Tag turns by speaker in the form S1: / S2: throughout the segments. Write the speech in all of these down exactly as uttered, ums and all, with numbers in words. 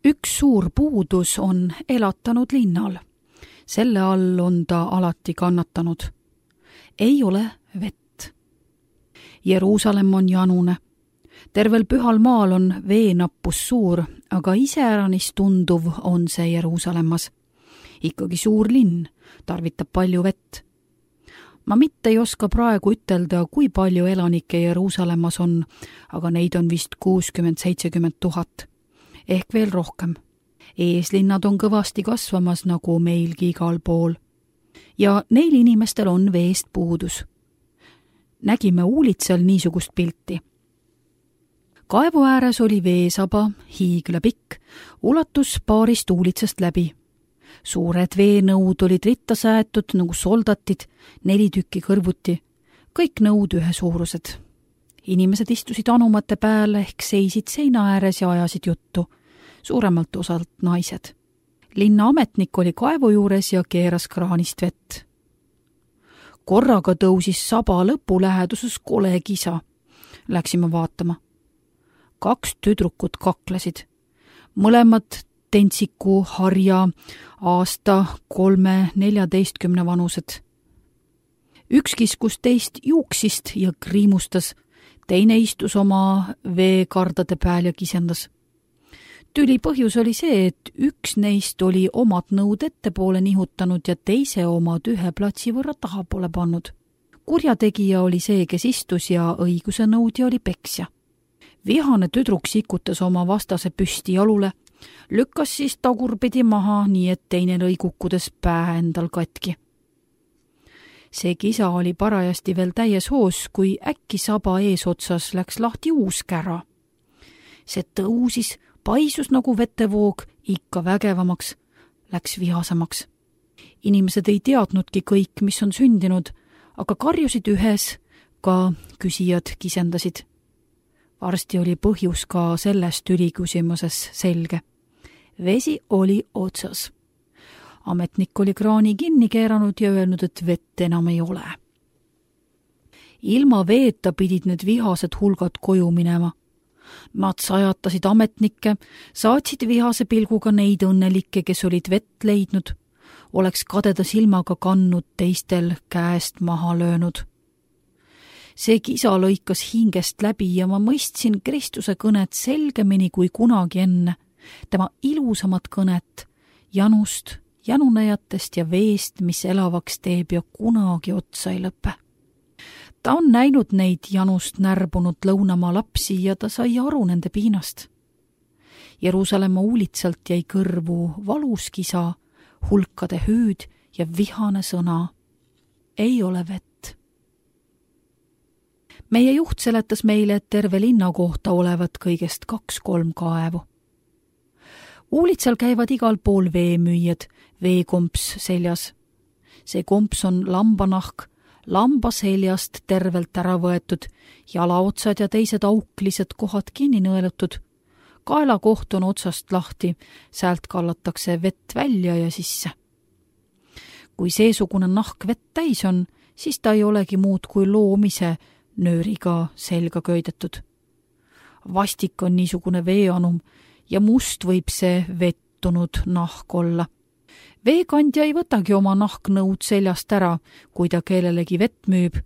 S1: Üks suur puudus on elatanud linnal. Selle all on ta alati kannatanud. Ei ole vett. Jeruusalemm on janune. Tervel pühal maal on veenappus suur, aga iseäranis tunduv on see Jeruusalemmas. Ikkagi suur linn, tarvitab palju vett. Ma mitte ei oska praegu ütelda, kui palju elanikke Jeruusalemmas on, aga neid on vist kuuskümmend seitsekümmend tuhat. Ehk veel rohkem. Eeslinnad on kõvasti kasvamas nagu meilgi igal pool. Ja neil inimestel on veest puudus. Nägime Uulitsal niisugust pilti. Kaevu ääres oli veesaba, hiigla pikk, ulatus paarist Uulitsast läbi. Suured veenõud olid ritta säätud nagu soldatid, neli tükki kõrvuti, kõik nõud ühesuurused. Inimesed istusid anumate pääl ehk seisid seina ääres ja ajasid juttu, suuremalt osalt naised. Linna ametnik oli kaevu juures ja keeras kraanist vett. Korraga tõusis saba lõpu läheduses kole kisa. Läksime vaatama. Kaks tüdrukut kaklesid. Mõlemad tentsiku, harja, aasta, kolme, neljateistkümne vanused. Üks kiskus teist juuksist ja kriimustas, teine istus oma veekardade pääl ja kisendas. Tüli põhjus oli see, et üks neist oli omad nõud ettepoole nihutanud ja teise omad ühe platsi võrra taha pole pannud. Kurjategija oli see, kes istus ja õiguse nõudja oli peksja. Vihane tüdruk sikutas oma vastase püsti jalule, lükkas siis tagurpidi maha, nii et teine lõi kukkudes pää endal katki. See kisa oli parajasti veel täies hoos, kui äkki saba eesotsas läks lahti uus kära. See tõusis, paisus nagu vetevoog, ikka vägevamaks, läks vihasemaks. Inimesed ei teadnudki kõik, mis on sündinud, aga karjusid ühes, ka küsijad kisendasid. Varsti oli põhjus ka sellest üliküsimuses selge. Vesi oli otsas. Ametnik oli kraani kinni keeranud ja öelnud, et vett enam ei ole. Ilma veeta pidid need vihased hulgad koju minema. Nad sajatasid ametnikke, saatsid vihase pilguga neid õnnelikke, kes olid vett leidnud, oleks kadeda silmaga kannud teistel käest maha löönud. See kisa lõikas hingest läbi ja ma mõistsin Kristuse kõnet selgemini kui kunagi enne, tema ilusamat kõnet, janust, janunejatest ja veest, mis elavaks teeb ja kunagi otsa ei lõpe. Ta on näinud neid janust närbunud lõunamaa lapsi ja ta sai aru nende piinast. Jeruusalemma Uulitsalt jäi kõrvu valus kisa, hulkade hüüd ja vihane sõna. Ei ole vett. Meie juht seletas meile, et terve linna kohta olevat kõigest kaks-kolm kaevu. Uulitsal käivad igal pool veemüüjad, veekomps seljas. See komps on lambanahk, lamba seljast tervelt ära võetud, jalaotsad ja teised auklised kohad kinni nõelutud. Kaelakoht on otsast lahti, säält kallatakse vett välja ja sisse. Kui seesugune nahk vett täis on, siis ta ei olegi muud kui loomise nööriga selga köidetud. Vastik on niisugune veeanum ja must võib see vettunud nahk olla. Veekandja ei võtagi oma nahknõud seljast ära, kui ta kellelegi vett müüb.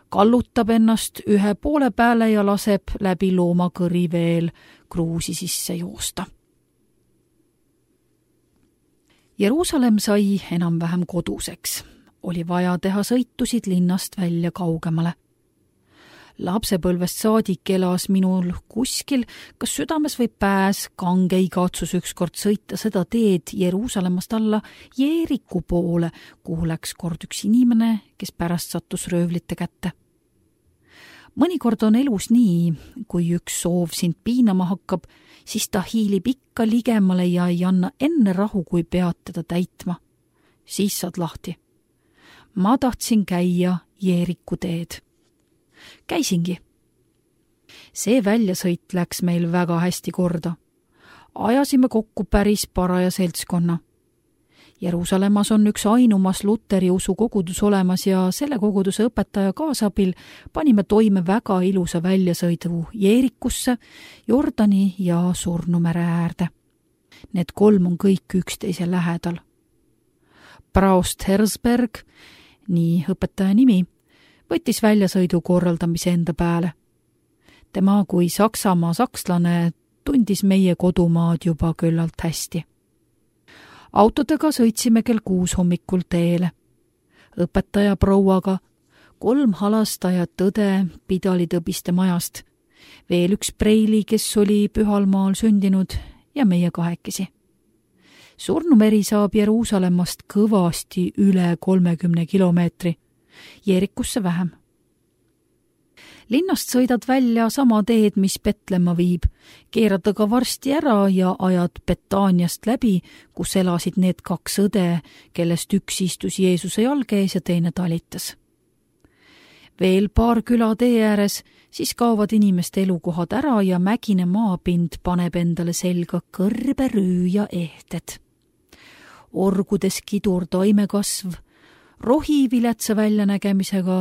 S1: Kallutab ennast ühe poole pääle ja laseb läbi loomakõri veel kruusi sisse joosta. Jeruusalemm sai enam-vähem koduseks. Oli vaja teha sõitusid linnast välja kaugemale. Lapsepõlvest saadik elas minul kuskil, kas südames või pääs, kange igatsus ükskord sõita seda teed Jeruusalemmast alla Jeeriku poole, kuhu läks kord üks inimene, kes pärast sattus röövlite kätte. Mõnikord on elus nii, kui üks soov sind piinama hakkab, siis ta hiilib ikka ligemale ja ei anna enne rahu, kui pead teda täitma. Siis saad lahti. Ma tahtsin käia Jeeriku teed. Käisingi. See väljasõit läks meil väga hästi korda. Ajasime kokku päris paraja seltskonna. Jeruusalemmas on üks ainumas luteri usu kogudus olemas ja selle koguduse õpetaja kaasabil panime toime väga ilusa väljasõidu Jeerikusse, Jordani ja Surnumere äärde. Need kolm on kõik üksteise lähedal. Braust Herzberg, nii õpetaja nimi, võttis väljasõidu korraldamise enda pääle. Tema kui Saksamaa sakslane tundis meie kodumaad juba küllalt hästi. Autodega sõitsime kell kuus hommikul teele. Õpetaja prouaga, kolm halastajat õde pidalitõbiste majast, veel üks preili, kes oli Pühalmaal sündinud ja meie kahekesi. Surnumeri saab Jeruusalemmast kõvasti üle kolmekümne kilomeetri, Jeerikusse vähem. Linnast sõidad välja sama teed, mis Petlemma viib, keerad aga varsti ära ja ajad Betaaniast läbi, kus elasid need kaks õde, kellest üks istus Jeesuse jalge ees ja teine talitas. Veel paar küla tee ääres, siis kaovad inimeste elukohad ära ja mägine maapind paneb endale selga kõrbe rüü ja ehted. Orgudes kidur taimekasv, rohi viletsa väljanägemisega,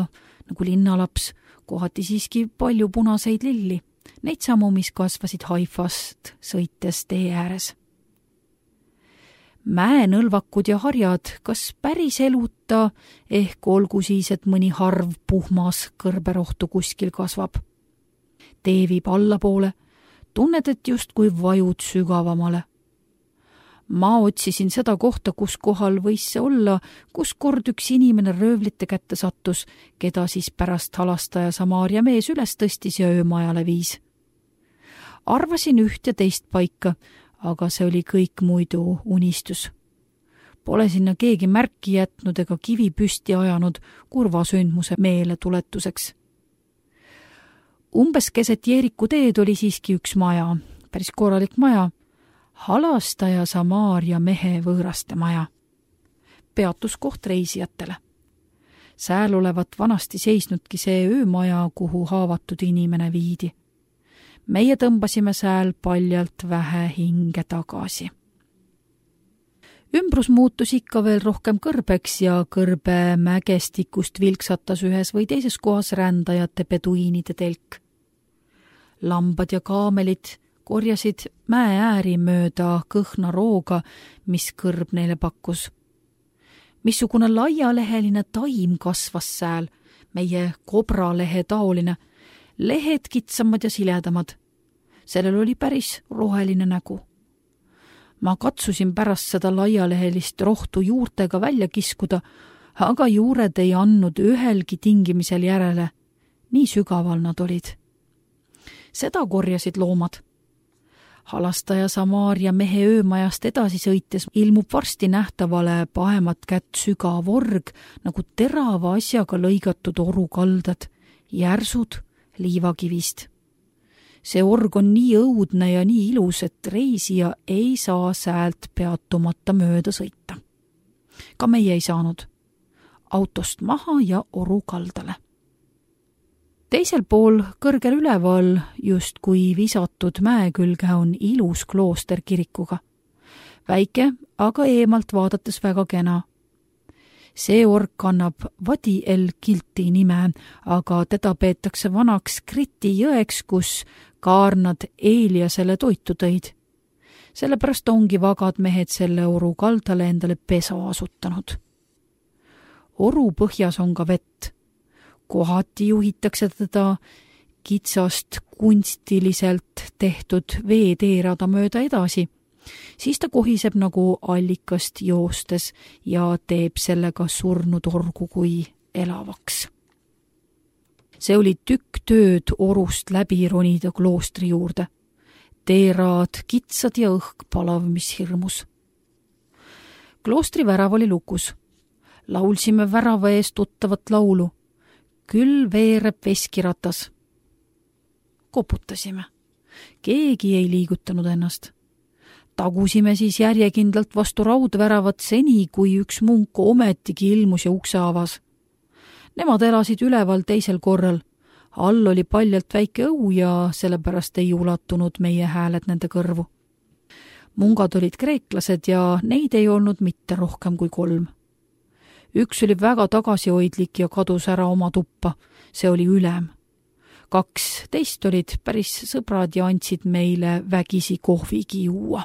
S1: nagu linnalaps, kohati siiski palju punaseid lilli, neid samu, mis kasvasid Haifast sõites tee ääres. Mäenõlvakud ja harjad, kas päris eluta, ehk olgu siis, et mõni harv puhmas kõrberohtu kuskil kasvab. Tee viib allapoole, tunned, et just kui vajud sügavamale. Ma otsisin seda kohta, kus kohal võis see olla, kus kord üks inimene röövlite kätte sattus, keda siis pärast halastaja Samaaria mees üles tõstis ja öömajale viis. Arvasin üht ja teist paika, aga see oli kõik muidu unistus. Pole sinna keegi märki jätnud ega kivi püsti ajanud kurva sündmuse meele tuletuseks. Umbes keset Jeeriku teed oli siiski üks maja, päris korralik maja, halastaja Samaaria mehe võõraste maja. Peatuskoht reisijatele. Sääl olevat vanasti seisnudki see öömaja, kuhu haavatud inimene viidi. Meie tõmbasime sääl paljalt vähe hinge tagasi. Ümbrus muutus ikka veel rohkem kõrbeks ja kõrbe mägestikust vilksatas ühes või teises kohas rändajate peduiinide telk. Lambad ja kaamelid korjasid mäe ääri mööda kõhna rooga, mis kõrb neile pakkus. Missugune laialeheline taim kasvas sääl, meie kobralehe taoline, lehed kitsamad ja siledamad. Sellel oli päris roheline nägu. Ma katsusin pärast seda laialehelist rohtu juurtega välja kiskuda, aga juured ei andnud ühelgi tingimisel järele. Nii sügaval nad olid. Seda korjasid loomad. Halastaja Samaaria mehe öömajast edasi sõites ilmub varsti nähtavale pahemat kätt sügav org, nagu terava asjaga lõigatud orukaldad, järsud liivakivist. See org on nii õudne ja nii ilus, et reisija ei saa säält peatumata mööda sõita. Ka meie ei saanud. Autost maha ja orukaldale. Teisel pool, kõrgel üleval, just kui visatud mäe külge on ilus klooster kirikuga. Väike, aga eemalt vaadates väga kena. See org kannab Vadi el Kilti nime, aga teda peetakse vanaks Kriti jõeks, kus kaarnad Eeliasele toitu tõid. Sellepärast ongi vagad mehed selle oru kaldale endale pesa asutanud. Oru põhjas on ka vett. Kohati juhitakse teda kitsast kunstiliselt tehtud veeteerada mööda edasi, siis ta kohiseb nagu allikast joostes ja teeb sellega surnud orgu kui elavaks. See oli tükk tööd orust läbi ronida kloostri juurde. Teeraad kitsad ja õhk palav, mis hirmus. Kloostri värav oli lukus. Laulsime värava ees tuttavat laulu. Küll veereb veskiratas. Koputasime. Keegi ei liigutanud ennast. Tagusime siis järjekindlalt vastu raudväravat seni, kui üks munk ometigi ilmus ja ukse avas. Nemad elasid üleval teisel korral. All oli paljalt väike õu ja sellepärast ei ulatunud meie hääled nende kõrvu. Mungad olid kreeklased ja neid ei olnud mitte rohkem kui kolm. Üks oli väga tagasihoidlik ja kadus ära oma tuppa, see oli ülem. Kaks teist olid päris sõbrad ja andsid meile vägisi kohvigi juua.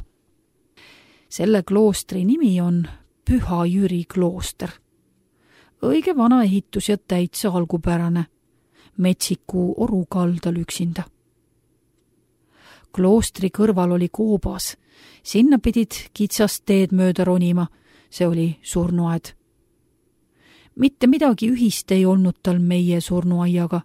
S1: Selle kloostri nimi on Püha Jüri klooster. Õige vana ehitus ja täitsa algupärane, metsiku oru kaldal üksinda. Kloostri kõrval oli koobas, sinna pidid kitsast teed mööda ronima, see oli surnuaed. Mitte midagi ühist ei olnud tal meie surnuaiaga.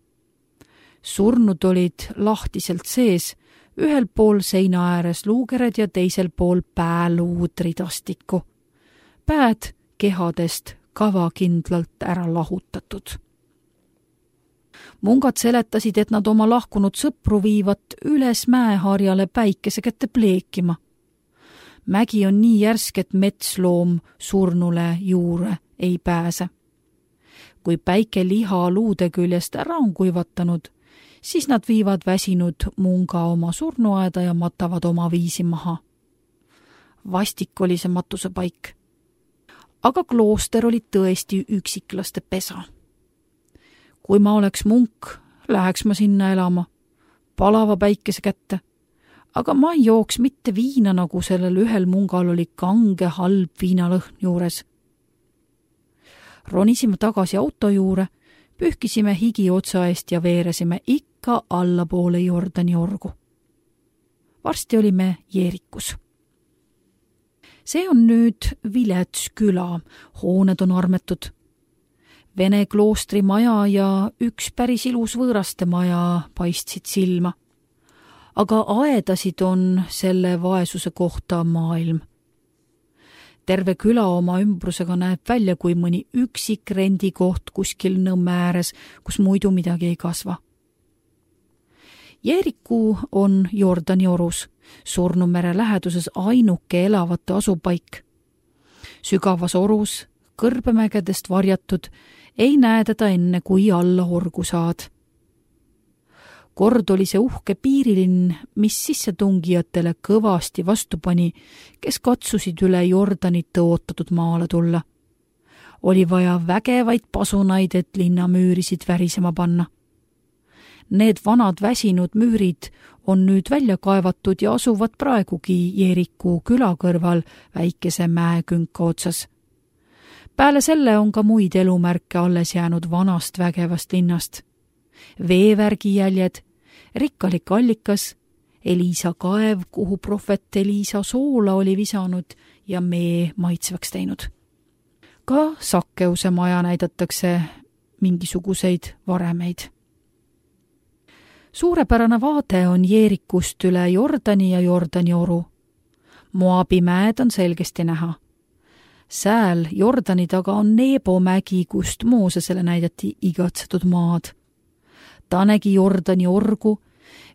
S1: Surnud olid lahtiselt sees, ühel pool seina ääres luugered ja teisel pool pääluud ridastikku. Pääd kehadest kavakindlalt ära lahutatud. Mungad seletasid, et nad oma lahkunud sõpru viivat üles mäeharjale päikese kätte pleekima. Mägi on nii järsk, et metsloom surnule juure ei pääse. Kui päike liha luude küljest ära on kuivatanud, siis nad viivad väsinud munga oma surnuaeda ja matavad oma viisi maha. Vastik oli see matuse paik. Aga klooster oli tõesti üksiklaste pesa. Kui ma oleks munk, läheks ma sinna elama, palava päikese kätte, aga ma ei jooks mitte viina, nagu sellel ühel mungal oli kange halb viinalõhn juures. Ronisime tagasi auto juure, pühkisime higi otsa eest ja veeresime ikka allapoole Jordani orgu. Varsti olime Jeerikus. See on nüüd vilets küla, hooned on armetud. Vene kloostri maja ja üks päris ilus võõraste maja paistsid silma. Aga aedasid on selle vaesuse kohta maailm. Terve küla oma ümbrusega näeb välja kui mõni üksik rendikoht kuskil Nõmme ääres, kus muidu midagi ei kasva. Jeeriku on Jordani orus, Surnumere läheduses ainuke elavate asupaik. Sügavas orus, kõrbemägedest varjatud, ei näe teda enne, kui alla orgu saad. Kord oli see uhke piirilinn, mis sissetungijatele kõvasti vastu pani, kes katsusid üle Jordanit tõotatud maale tulla. Oli vaja vägevaid pasunaid, et linna müürisid värisema panna. Need vanad väsinud müürid on nüüd välja kaevatud ja asuvad praegugi Jeeriku küla kõrval väikese mäekünka otsas. Peale selle on ka muid elumärke alles jäänud vanast vägevast linnast. Veevärgi jäljed, rikkalik allikas, Eliisa kaev, kuhu prohvet Eliisa soola oli visanud ja mee maitsvaks teinud. Ka Sakkeuse maja näidatakse mingisuguseid varemeid. Suurepärane vaade on Jeerikust üle Jordani ja Jordani oru. Moabi mäed on selgesti näha. Sääl Jordani taga on Nebo mägi, kust Moosesele näidati igatsetud maad. Ta nägi Jordani orgu,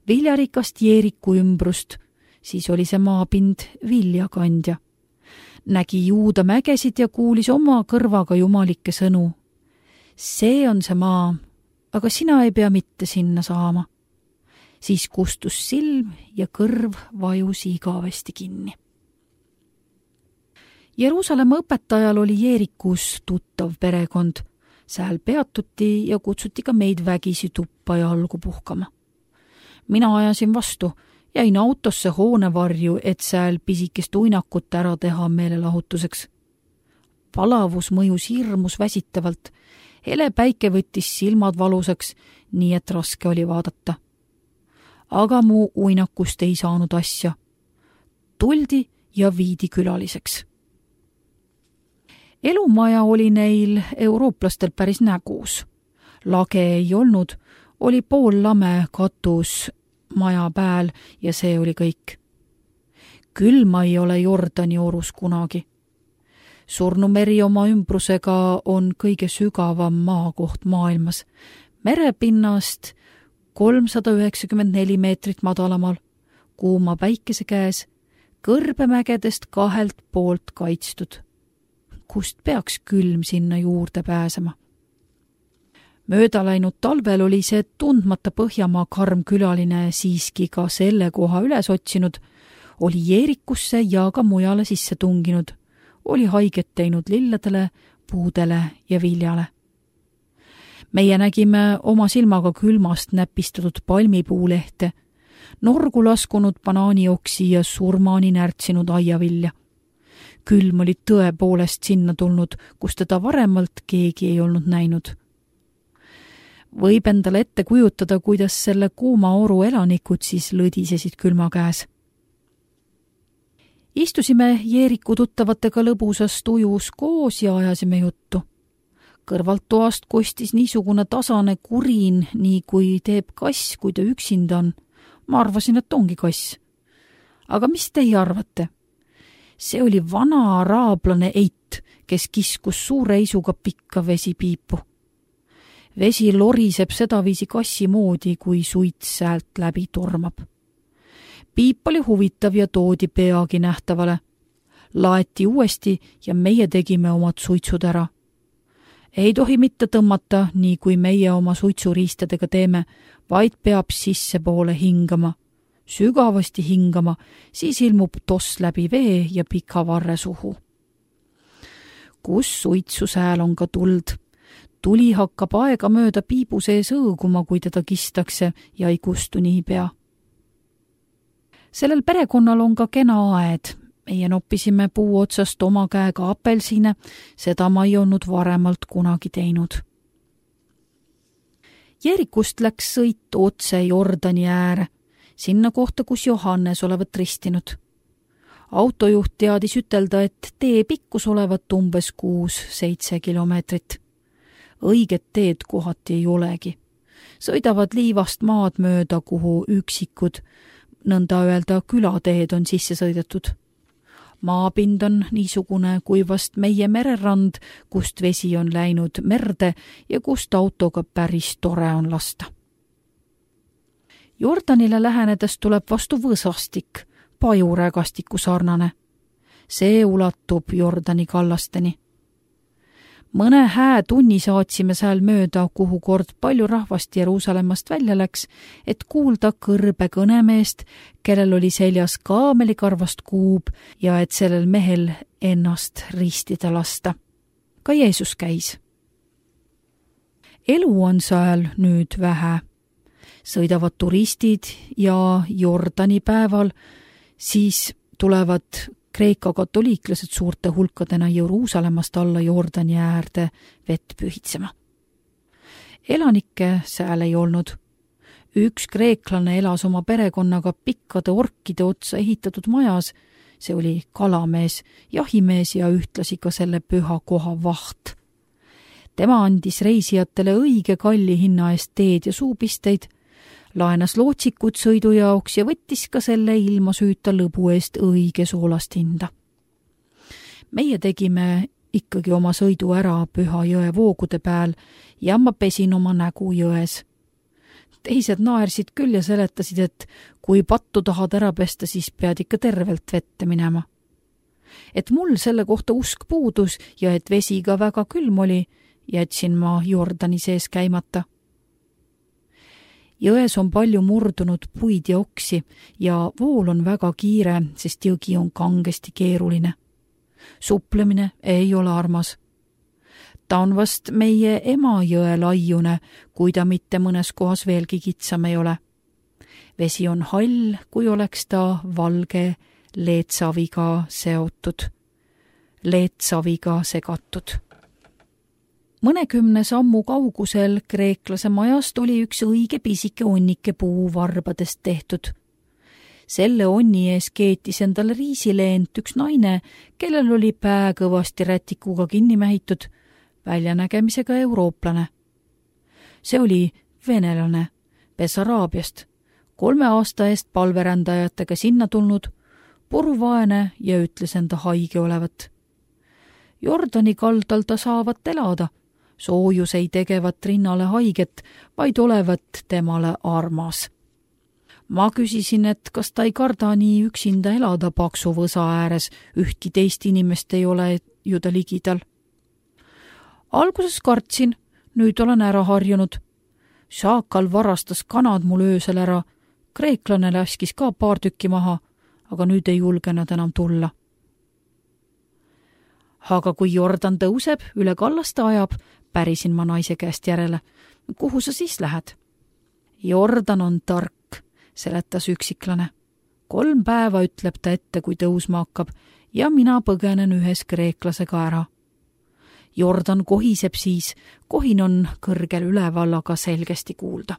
S1: viljarikast Jeeriku ümbrust, siis oli see maapind viljakandja. Nägi Juuda mägesid ja kuulis oma kõrvaga jumalikke sõnu. See on see maa, aga sina ei pea mitte sinna saama. Siis kustus silm ja kõrv vajus igavesti kinni. Jeruusalemma õpetajal oli Jeerikus tuttav perekond. Sääl peatuti ja kutsuti ka meid vägisi tuppa ja algu puhkama. Mina ajasin vastu, jäin autosse hoonevarju, et sääl pisikest uinakut ära teha meelelahutuseks. Palavus mõjus hirmus väsitavalt. Hele päike võttis silmad valusaks, nii et raske oli vaadata. Aga mu uinakust ei saanud asja. Tuldi ja viidi külaliseks. Elumaja oli neil eurooplastel päris nägus. Lage ei olnud, oli pool lame katus maja pääl ja see oli kõik. Külma ei ole Jordani orus kunagi. Surnumeri oma ümbrusega on kõige sügavam maakoht maailmas. Merepinnast kolmsada üheksakümmend neli meetrit madalamal, kuuma päikese käes, kõrbemägedest kahelt poolt kaitstud. Kust peaks külm sinna juurde pääsema? Mööda läinud talvel oli see tundmata Põhjamaa karm külaline siiski ka selle koha üles otsinud, oli Jeerikusse ja ka mujale sisse tunginud, oli haiget teinud lilladele, puudele ja viljale. Meie nägime oma silmaga külmast näpistatud palmipuulehte, norgu laskunud banaanioksi ja surmani närtsinud aiavilja. külm oli tõepoolest sinna tulnud, kus teda varemalt keegi ei olnud näinud. Võib endale ette kujutada, kuidas selle kuuma oru elanikud siis lõdisesid külma käes. Istusime Jeeriku tuttavatega lõbusas tujus koos ja ajasime juttu. Kõrvalt toast kostis niisugune tasane kurin, nii kui teeb kass, kui ta üksinda on. Ma arvasin, et ongi kass. Aga mis teie arvate? See oli vana araablane eit, kes kiskus suure isuga pikka vesipiipu. Vesi loriseb sedaviisi kassi moodi, kui suit säält läbi tormab. Piip oli huvitav ja toodi peagi nähtavale. Laeti uuesti ja meie tegime omad suitsud ära. Ei tohi mitte tõmmata, nii kui meie oma suitsuriistadega teeme, vaid peab sisse poole hingama. Sügavasti hingama, siis ilmub toss läbi vee ja pika varre suhu. Kus suitsu sääl on ka tuld? Tuli hakkab aega mööda piibu sees õõguma, kui teda kistakse ja ei kustu niipea. Sellel perekonnal on ka kena aed. Meie noppisime puu otsast oma käega apelsine, seda ma ei olnud varemalt kunagi teinud. Jeerikust läks sõit otse Jordani ääre, sinna kohta, kus Johannes olevat ristinud. Autojuht teadis ütelda, et tee pikkus olevat umbes kuus-seitse kilomeetrit. Õiget teed kohati ei olegi. Sõidavad liivast maad mööda, kuhu üksikud, nõnda öelda külateed on sisse sõidetud. Maapind on niisugune kui vast meie mererand, kust vesi on läinud merde ja kust autoga päris tore on lasta. Jordanile lähenedes tuleb vastu võsastik, pajurägastiku sarnane. See ulatub Jordani kallasteni. Mõne hää tunni saatsime sääl mööda, kuhu kord palju rahvast Jeruusalemmast välja läks, et kuulda kõrbe kõnemeest, kellel oli seljas kaamelikarvast kuub ja et sellel mehel ennast ristida lasta. Ka Jeesus käis. Elu on sääl nüüd vähe. Sõidavad turistid ja Jordani päeval, siis tulevad Kreeka katoliiklased suurte hulkadena Jeruusalemmast alla Jordani äärde vett pühitsema. Elanikke sääl ei olnud. Üks kreeklane elas oma perekonnaga pikkade orkide otsa ehitatud majas, see oli kalamees, jahimees ja ühtlasi ka selle püha koha vaht. Tema andis reisijatele õige kalli hinna eest teed ja suupisteid, laenas lootsikud sõidu jaoks ja võttis ka selle ilma süüta lõbu eest õige soolast hinda. Meie tegime ikkagi oma sõidu ära Püha jõe voogude peal ja ma pesin oma nägu jões. Teised naersid küll ja seletasid, et kui pattu tahad ära pesta, siis pead ikka tervelt vette minema. Et mul selle kohta usk puudus ja et vesi ka väga külm oli, jätsin ma Jordani sees käimata. Jões on palju murdunud puid ja oksi ja vool on väga kiire, sest jõgi on kangesti keeruline. Suplemine ei ole armas. Ta on vast meie ema jõe laiune, kui ta mitte mõnes kohas veelgi kitsam ei ole. Vesi on hall, kui oleks ta valge leetsaviga seotud, leetsaviga segatud. Mõnekümne sammu kaugusel kreeklase majast oli üks õige pisike onnike puuvarbadest tehtud. Selle onni ees keetis endale riisileent üks naine, kellel oli pää kõvasti rätikuga kinni mähitud, väljanägemisega eurooplane. See oli venelane, Bessaraabiast, kolme aasta eest palverändajatega sinna tulnud, puruvaene ja ütles enda haige olevat. Jordani kaldal ta saavat elada, soojus ei tegevat rinnale haiget, vaid olevat temale armas. Ma küsisin, et kas ta ei karda nii üksinda elada paksu võsa ääres, ühtki teist inimest ei ole ju ta ligidal. Alguses kartsin, nüüd olen ära harjunud. Šaakal varastas kanad mul öösel ära, kreeklane laskis ka paar tükki maha, aga nüüd ei julge nad enam tulla. Aga kui Jordan tõuseb, üle kallaste ajab, pärisin ma naise käest järele. Kuhu sa siis lähed? Jordan on tark, seletas üksiklane. kolm päeva ütleb ta ette, kui tõusma hakkab, ja mina põgenen ühes kreeklasega ära. Jordan kohiseb siis, kohin on kõrgel üleval, aga selgesti kuulda.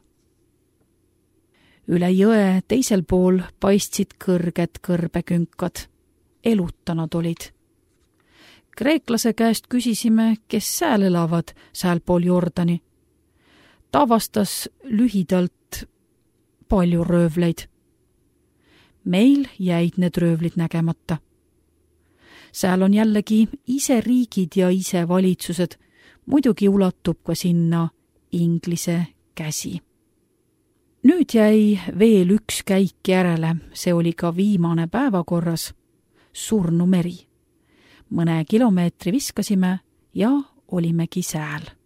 S1: Üle jõe teisel pool paistsid kõrged kõrbekünkad. Eluta nad olid. Kreeklase käest küsisime, kes sääl elavad sääl pool Jordani. Ta vastas lühidalt palju röövleid. Meil jäid need röövlid nägemata. Sääl on jällegi ise riigid ja ise valitsused, muidugi ulatub ka sinna Inglise käsi. Nüüd jäi veel üks käik järele, see oli ka viimane päevakorras, Surnumeri. Mõne kilomeetri viskasime ja olimegi sääl.